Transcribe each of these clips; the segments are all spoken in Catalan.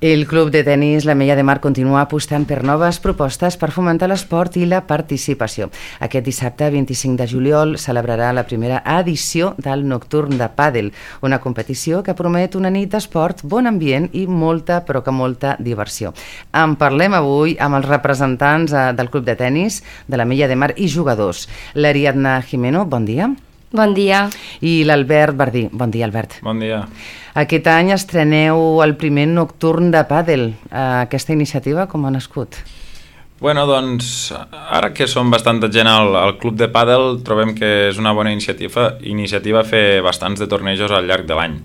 El Club de Tenis l'Ametlla de Mar continua apostant per noves propostes per fomentar l'esport i la participació. Aquest dissabte, 25 de juliol, celebrarà la primera edició del Nocturn de Pàdel, una competició que promet una nit d'esport, bon ambient i molta, però que molta diversió. En parlem avui amb els representants del Club de Tenis de l'Ametlla de Mar i jugadors. L'Ariadna Jimeno, bon dia. Bon dia. I l'Albert Bardí. Bon dia, Albert. Bon dia. Aquest any estreneu el primer Nocturn de Pàdel. Aquesta iniciativa com ha nascut? Bueno, doncs, ara que som bastanta gent al Club de Pàdel, trobem que és una bona iniciativa fer bastants de tornejos al llarg de l'any.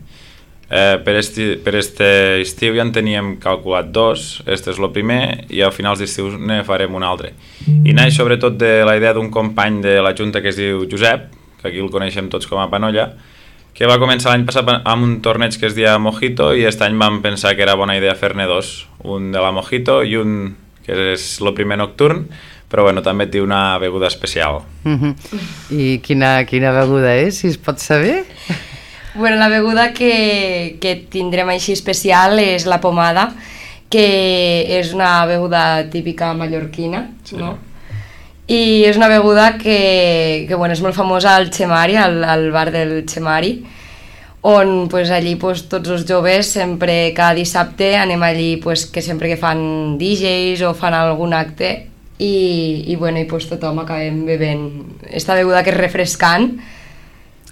Per este estiu ja en teníem calculat 2, este és el primer, i a finals d'estiu ne farem un altre. I naix sobretot de la idea d'un company de la Junta que es diu Josep, que aquí el coneixem tots com a Panolla, que va començar l'any passat amb un torneig que es deia Mojito, i aquest any vam pensar que era bona idea fer-ne 2, un de la Mojito i un que és el primer nocturn, però bueno, també té una beguda especial. I quina beguda és, si es pot saber? Bueno, la beguda que tindrem així especial és la pomada, que és una beguda típica mallorquina, sí. No? I és una beguda que bueno, és molt famosa al Chemari, al bar del Chemari, on pues, allí pues, tots els joves sempre, cada dissabte anem allí pues, que sempre que fan DJs o fan algun acte i bueno, i pues, tothom acabem bevent esta beguda que és refrescant.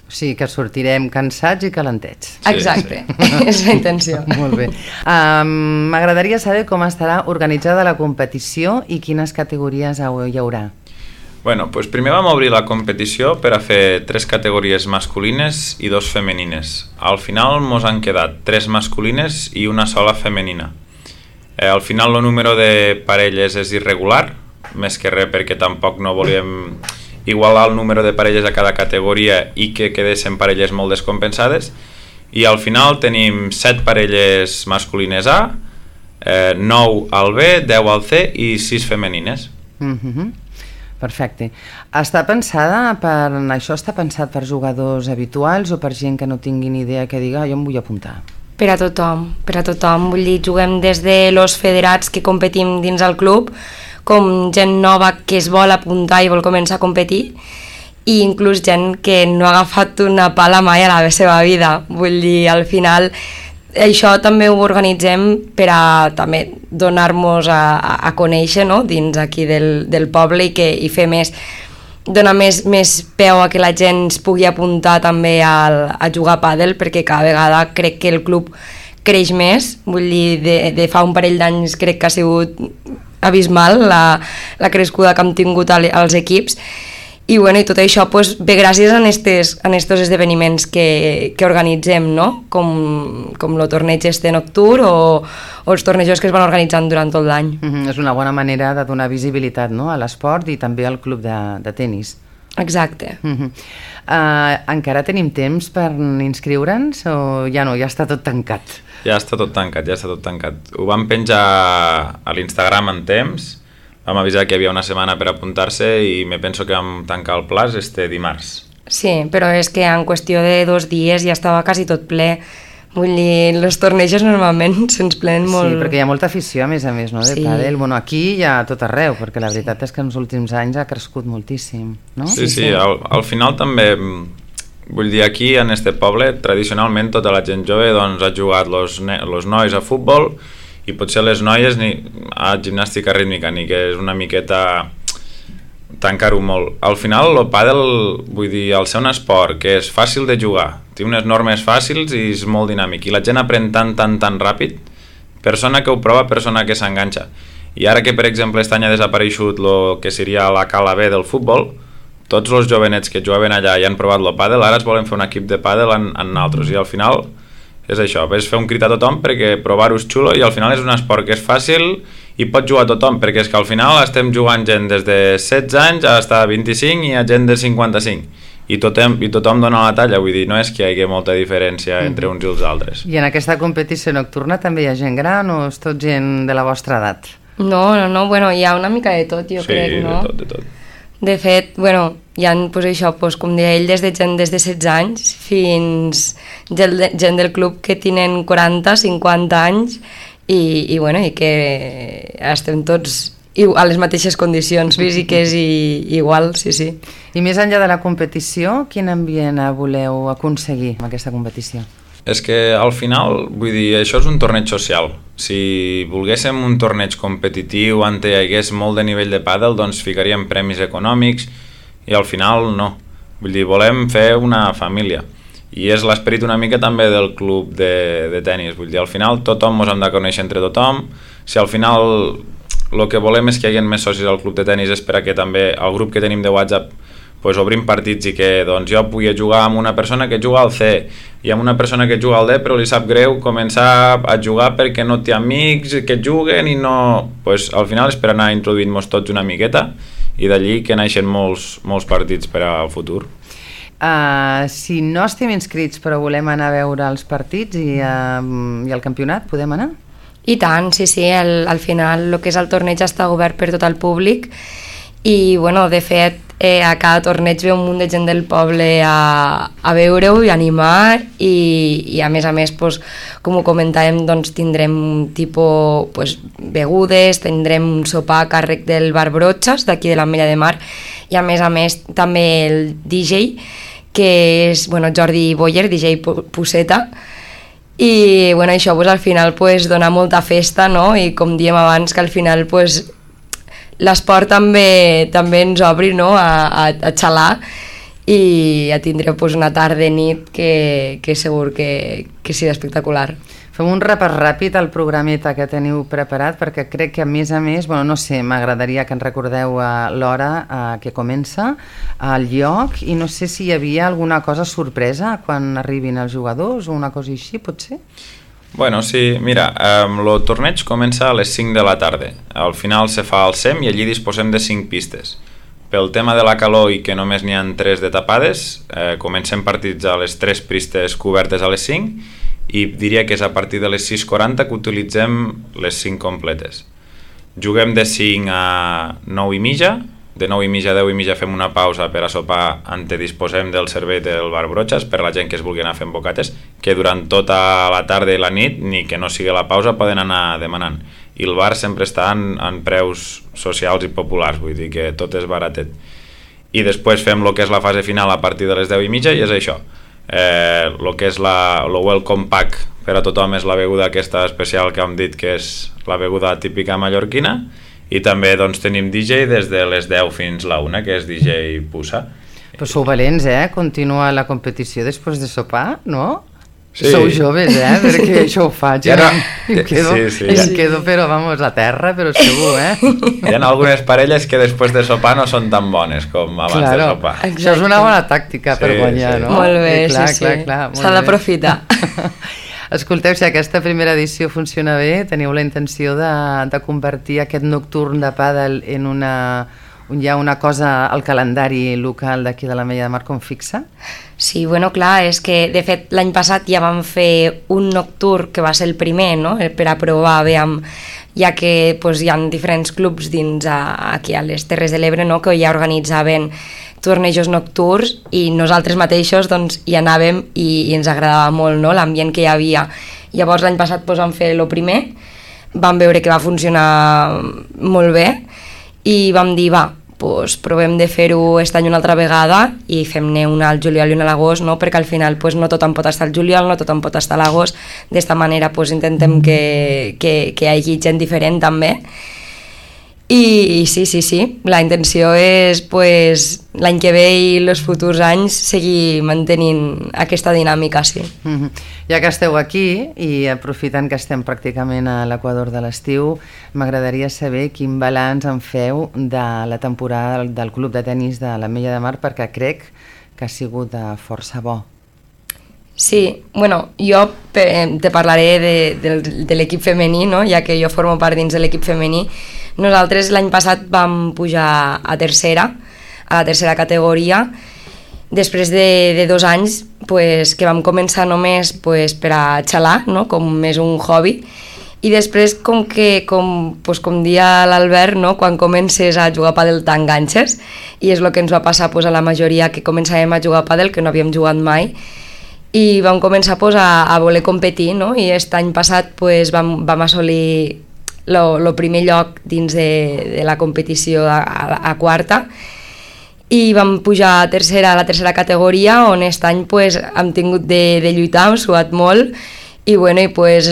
O sigui que sortirem cansats i calentets. Exacte, sí. És la intenció. Molt bé. M'agradaria saber com estarà organitzada la competició i quines categories hi haurà. Bueno, doncs primer vam obrir la competició per a fer 3 categories masculines i 2 femenines. Al final mos han quedat 3 masculines i una sola femenina. Al final el número de parelles és irregular, més que res perquè tampoc no volíem igualar el número de parelles a cada categoria i que quedessin parelles molt descompensades. I al final tenim 7 parelles masculines A, 9 al B, 10 al C i 6 femenines. Perfecte. Això està pensat per jugadors habituals o per gent que no tingui ni idea que diga jo em vull apuntar? Per a tothom. Vull dir, juguem des de los federats que competim dins el club, com gent nova que es vol apuntar i vol començar a competir, i inclús gent que no ha agafat una pala mai a la seva vida. Vull dir, al final això també ho organitzem per a també donar-nos a conèixer, no? Dins aquí del poble i fer donar més peu a que la gent es pugui apuntar també a jugar a pàdel, perquè cada vegada crec que el club creix més. Vull dir, de fa un parell d'anys crec que ha sigut abismal la crescuda que hem tingut als equips. I bueno, i tot això pues, ve gràcies a estos esdeveniments que organitzem, no? Com el torneig nocturn o els tornejos que es van organitzant durant tot l'any. És una bona manera de donar visibilitat, no? A l'esport i també al club de tenis. Exacte. Encara tenim temps per inscriure'ns o ja no, ja està tot tancat? Ja està tot tancat. Ho vam penjar a l'Instagram en temps. Vam avisar que hi havia una setmana per apuntar-se i me penso que vam tancar el plaç dimarts. Sí, però és que en qüestió de 2 dies ja estava quasi tot ple. Vull dir, els tornejos normalment se'ns plenen molt. Sí, perquè hi ha molta afició, a més, no? De pàdel. Bueno, aquí hi ha tot arreu, perquè la veritat és que en els últims anys ha crescut moltíssim, no? Sí. Al final també, vull dir, aquí en este poble, tradicionalment tota la gent jove doncs, ha jugat los nois a futbol i potser les noies a gimnàstica rítmica, ni que és una miqueta tancar-ho molt. Al final el pàdel, vull dir, al ser un esport que és fàcil de jugar, té unes normes fàcils i és molt dinàmic, i la gent aprèn tan ràpid, persona que ho prova, persona que s'enganxa. I ara que, per exemple, aquest any ha desapareixut el que seria la cala B del futbol, tots els jovenets que jugaven allà i han provat el pàdel, ara es volen fer un equip de pàdel en nosaltres, i al final és això, és fer un crit a tothom perquè provar-ho és xulo, i al final és un esport que és fàcil i pot jugar a tothom, perquè és que al final estem jugant gent des de 16 anys a 25 i a gent de 55 i tothom dona la talla, vull dir, no és que hi hagi molta diferència entre uns i els altres. I en aquesta competició nocturna també hi ha gent gran o és tot gent de la vostra edat? No, bueno, hi ha una mica de tot, jo crec, no? Sí, de tot. De fet, bueno, hi ha, pues això, pues, com deia ell, des de 16 anys fins gent del club que tenen 40, 50 anys i que estem tots a les mateixes condicions físiques i igual, sí. I més enllà de la competició, quin ambient voleu aconseguir amb aquesta competició? És que al final, vull dir, això és un torneig social. Si volguéssim un torneig competitiu on hi hagués molt de nivell de pàdel, doncs ficaríem premis econòmics i al final no. Vull dir, volem fer una família. I és l'esperit una mica també del club de tenis. Vull dir, al final tothom ens hem de conèixer entre tothom. Si al final el que volem és que hi hagi més socis al club de tenis és per a que també el grup que tenim de WhatsApp pues, obrim partits i que doncs, jo pugui jugar amb una persona que juga al C i amb una persona que juga al D però li sap greu començar a jugar perquè no té amics que juguen i no... Pues, al final és per anar introduint-nos tots una miqueta i d'allí que naixen molts partits per al futur. Si no estem inscrits però volem anar a veure els partits i el campionat, podem anar? I tant, sí, al final el que és el torneig està obert per tot el públic i bueno, de fet a cada torneig ve un munt de gent del poble a veure-ho i animar i a més, pues, com ho comentàvem, doncs tindrem tipus pues, begudes, tindrem un sopar a càrrec del bar Brotxes d'aquí de l'Ametlla de Mar i a més també el DJ que és Jordi Boyer, DJ Puseta i bueno, això pues, al final pues, dona molta festa, no? I com diem abans que al final pues, l'esport també ens obri, no? a xalar i a tindre pues, una tarda nit que segur que serà espectacular. Fem un repàs ràpid al programeta que teniu preparat perquè crec que a més, bueno, no sé, m'agradaria que ens recordeu l'hora que comença, el lloc i no sé si hi havia alguna cosa sorpresa quan arribin els jugadors o una cosa així, pot ser? Bueno, sí, mira, el torneig comença a les 5 de la tarda. Al final se fa el SEM i allí disposem de 5 pistes. Pel tema de la calor i que només n'hi ha 3 de tapades, comencem partits a les 3 pistes cobertes a les 5 i diria que és a partir de les 6:40 que utilitzem les 5 completes. Juguem de 5 a 9 i mitja, de 9 i mitja a 10 i mitja fem una pausa per a sopar on disposem del servei del bar Brotxes per la gent que es vulgui anar fent bocates, que durant tota la tarda i la nit, ni que no sigui la pausa, poden anar demanant. I el bar sempre està en preus socials i populars, vull dir que tot és baratet. I després fem el que és la fase final a partir de les 10 i mitja i és això. El que és el welcome pack per a tothom és la beguda aquesta especial que hem dit que és la beguda típica mallorquina i també doncs, tenim DJ des de les 10 fins la 1 que és DJ Pusa. Però sou valents, Continua la competició després de sopar, no? Sí. Sou joves, perquè això ho faig ja no. em quedo però vamos a terra, però segur, Hi ha algunes parelles que després de sopar no són tan bones com abans de sopar. Exacte. Això és una bona tàctica per guanyar, no? Molt bé, clar, sí. S'ha d'aprofitar. Escolteu, si aquesta primera edició funciona bé, teniu la intenció de convertir aquest nocturn de pàdel en una cosa al calendari local d'aquí de l'Ametlla de Mar com fixa? Sí, bueno, clar, és que de fet l'any passat ja vam fer un nocturn que va ser el primer, no?, per a provar, ja que pues, hi ha diferents clubs dins aquí a les Terres de l'Ebre, no?, que ja organitzaven tornejos nocturns i nosaltres mateixos doncs, hi anàvem i ens agradava molt, no?, l'ambient que hi havia. Llavors l'any passat pues, vam fer el primer, vam veure que va funcionar molt bé i vam dir, pues, provem de fer-ho aquest any una altra vegada i fem-ne una al juliol i una a l'agost, no? Perquè al final pues, no tothom pot estar al juliol, no tothom pot estar a l'agost, d'esta manera pues, intentem que hi hagi gent diferent també. I sí, la intenció és pues, l'any que ve i els futurs anys seguir mantenint aquesta dinàmica, sí. Ja que esteu aquí i aprofitant que estem pràcticament a l'equador de l'estiu, m'agradaria saber quin balanç en feu de la temporada del Club de Tenis de l'Ametlla de Mar perquè crec que ha sigut força bo. Sí, bueno, jo te parlaré de l'equip femení, no? Ja que jo formo part dins de l'equip femení. Nosaltres l'any passat vam pujar a la tercera categoria, després de 2 anys pues, que vam començar només pues, per a xalar, no? Com més un hobby, i després com dia l'Albert, no? Quan comences a jugar a pàdel t'enganxes, i és el que ens va passar pues, a la majoria que començàvem a jugar a pàdel, que no havíem jugat mai, i vam començar pues, a voler competir, no? I aquest any passat pues, vam assolir el primer lloc dins de la competició a quarta i vam pujar a la tercera categoria, on aquest any pues, hem tingut de lluitar, hem suat molt i, bueno, i pues,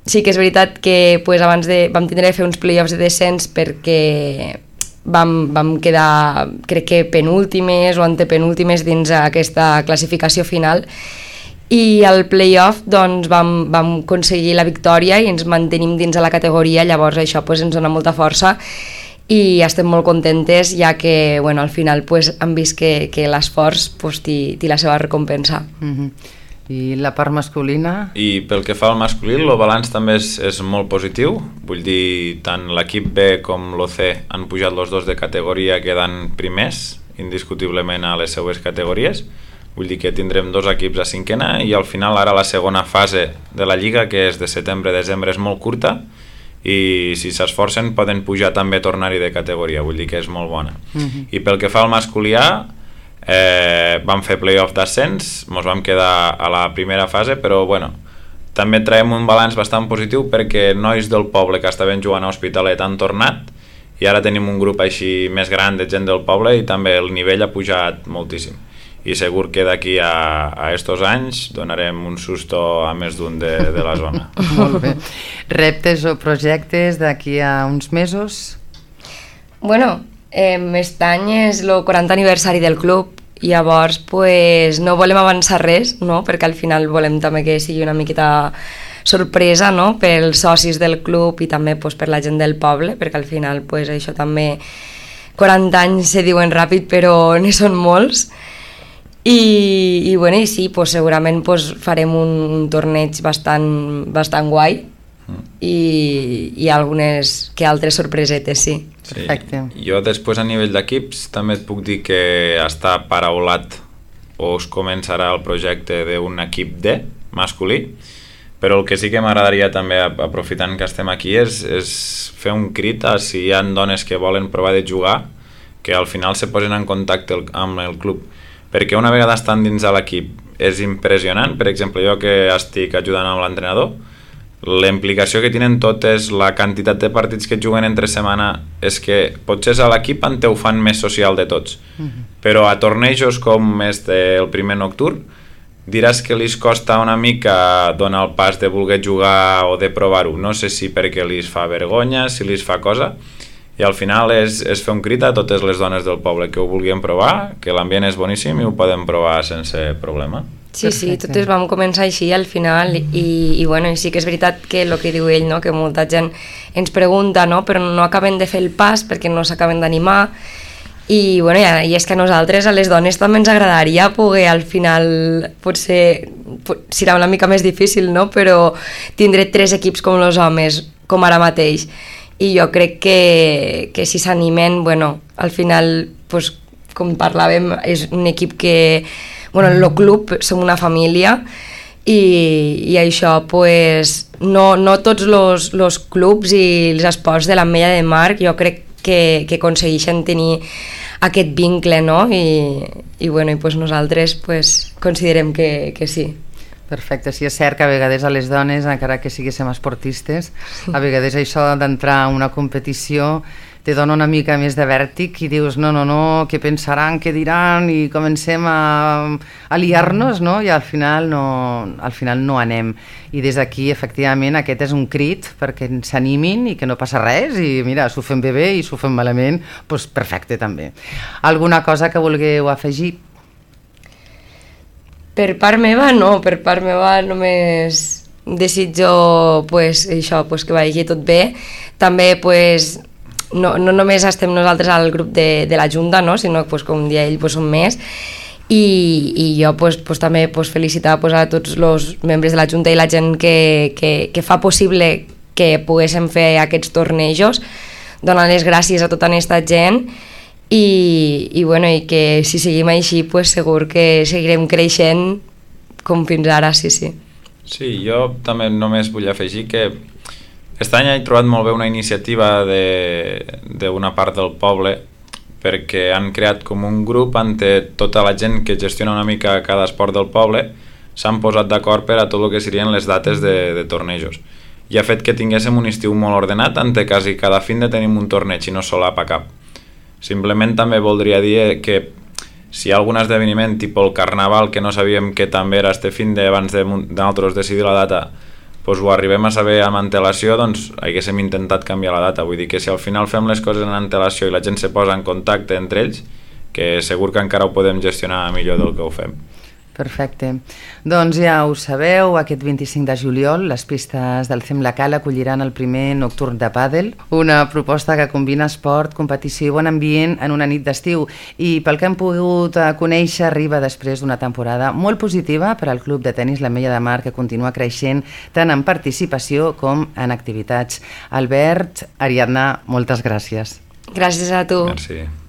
sí que és veritat que pues, abans vam tindre de fer uns play-offs de descens perquè vam quedar, crec que penúltimes o antepenúltimes dins aquesta classificació final i al play-off doncs, vam aconseguir la victòria i ens mantenim dins de la categoria, llavors això pues, ens dona molta força i estem molt contentes ja que bueno, al final pues, hem vist que l'esforç pues, té la seva recompensa. I la part masculina? I pel que fa al masculí, el balanç també és molt positiu, vull dir, tant l'equip B com l'OC han pujat els dos de categoria quedant primers, indiscutiblement a les seues categories, vull dir que tindrem dos equips a cinquena i al final ara la segona fase de la Lliga, que és de setembre-desembre, és molt curta i si s'esforcen poden pujar també a tornar-hi de categoria, vull dir que és molt bona. I pel que fa al masculí A, vam fer play-off d'ascens, ens vam quedar a la primera fase, però bueno, també traiem un balanç bastant positiu perquè nois del poble que estaven jugant a Hospitalet han tornat i ara tenim un grup així més gran de gent del poble i també el nivell ha pujat moltíssim i segur que d'aquí a estos anys donarem un susto a més d'un de la zona. Molt bé. Reptes o projectes d'aquí a uns mesos? Bueno, aquest any és el 40 aniversari del club, llavors pues, no volem avançar res, no? Perquè al final volem també que sigui una miqueta sorpresa, no? Pels socis del club i també pues, per la gent del poble, perquè al final pues, això també 40 anys se diuen ràpid però n'hi són molts i bueno, i sí, pues, segurament pues, farem un torneig bastant guai i algunes que altres sorpresetes, sí. Perfecte. Sí. Jo després a nivell d'equips també et puc dir que està paraulat o es començarà el projecte d'un equip D masculí, però el que sí que m'agradaria també, aprofitant que estem aquí, és fer un crit a si hi ha dones que volen provar de jugar, que al final se posen en contacte amb el club, perquè una vegada estan dins de l'equip és impressionant. Per exemple, jo que estic ajudant amb l'entrenador, la implicació que tenen totes, la quantitat de partits que juguen entre setmana, és que potser a l'equip en te ho fan més social de tots, però a tornejos com el primer nocturn diràs que li costa una mica donar el pas de voler jugar o de provar-ho, no sé si perquè li fa vergonya, si li fa cosa, i al final és fer un crit a totes les dones del poble que ho vulguin provar, que l'ambient és boníssim i ho poden provar sense problema. Sí, sí, totes vam començar així al final i bueno, i sí que és veritat que el que diu ell, no? Que molta gent ens pregunta, no? Però no acaben de fer el pas perquè no s'acaben d'animar i, bueno, i és que a nosaltres, a les dones, també ens agradaria poder al final, potser serà una mica més difícil, no? Però tindre 3 equips com els homes, com ara mateix, i jo crec que si s'animen, bueno, al final, pues, com parlàvem, és un equip que bueno, el club som una família i això pues, no tots els clubs i els esports de l'Ametlla de Mar jo crec que aconsegueixen tenir aquest vincle, no? I bueno, i pues nosaltres pues, considerem que sí. Perfecte, sí, és cert que a vegades a les dones, encara que siguéssim esportistes, a vegades això d'entrar a una competició te dona una mica més de vèrtic i dius no, què pensaran, què diran i comencem a liar-nos, no? I al final no anem. I des d'aquí, efectivament, aquest és un crit perquè s'animin i que no passa res i mira, s'ho fem bé i s'ho fem malament, doncs perfecte també. Alguna cosa que vulgueu afegir? Per part meva, no. Per part meva només desitjo pues, això, pues, que vagi tot bé. També pues, no només estem nosaltres al grup de la Junta, no? Sinó que, pues, com dia ell, pues, som més i jo pues, també pues, felicitar pues, a tots els membres de la Junta i la gent que fa possible que poguéssim fer aquests tornejos, donant les gràcies a tota aquesta gent i bueno, i que si seguim així pues, segur que seguirem creixent com fins ara, sí. Sí, jo també només vull afegir que aquest any he trobat molt bé una iniciativa d'una part del poble perquè han creat com un grup on tota la gent que gestiona una mica cada esport del poble s'han posat d'acord per a tot el que serien les dates de tornejos. I ha fet que tinguéssim un estiu molt ordenat, en què quasi cada fin de tenim un torneig i no solapa cap. Simplement també voldria dir que si hi ha algun esdeveniment, tipus el Carnaval, que no sabíem que també era este fin abans de nosaltres decidir la data, doncs ho arribem a saber amb antelació, doncs haguéssim intentat canviar la data. Vull dir que si al final fem les coses en antelació i la gent se posa en contacte entre ells, que segur que encara ho podem gestionar millor del que ho fem. Perfecte. Doncs ja ho sabeu, aquest 25 de juliol les pistes del CEM La Cala acolliran el primer nocturn de pàdel, una proposta que combina esport, competició i bon ambient en una nit d'estiu, i pel que hem pogut conèixer arriba després d'una temporada molt positiva per al Club de Tenis l'Ametlla de Mar, que continua creixent tant en participació com en activitats. Albert, Ariadna, moltes gràcies. Gràcies a tu. Merci.